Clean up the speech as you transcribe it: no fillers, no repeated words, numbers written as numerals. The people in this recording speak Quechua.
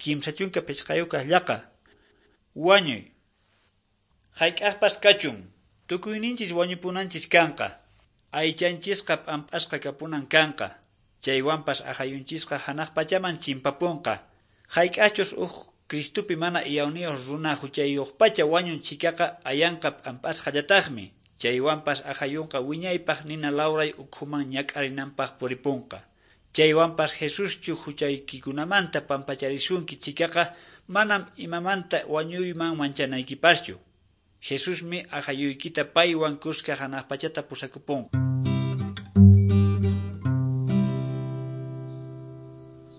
35 kaq llaqa. Wañuy. Hayk'aqpas kachun, tukuyninchis wañupunanchis kanqa. Aychanchisqa p'amp'asqa kapunan kanqa. Chaywanpas aqhayunchisqa hanaq pachaman chimpapunqa. Hayk'achus huk Cristopi mana iyawniyuq runa huchayuqpacha wañun chhikaqa ayanqa p'amp'asqallataqmi. Chaywanpas aqhayunqa wiñaypaq nina lawray ukhuman ñak'arinanpaq puripunqa. Chaywanpas Jesuschu huchaykikunamanta pampacharisunki chhikaqa manam imamanta wañuyman manchanaykipaschu. Jesusmi aqhayuykita paywan kuska hanaq pachata pusakupunqa.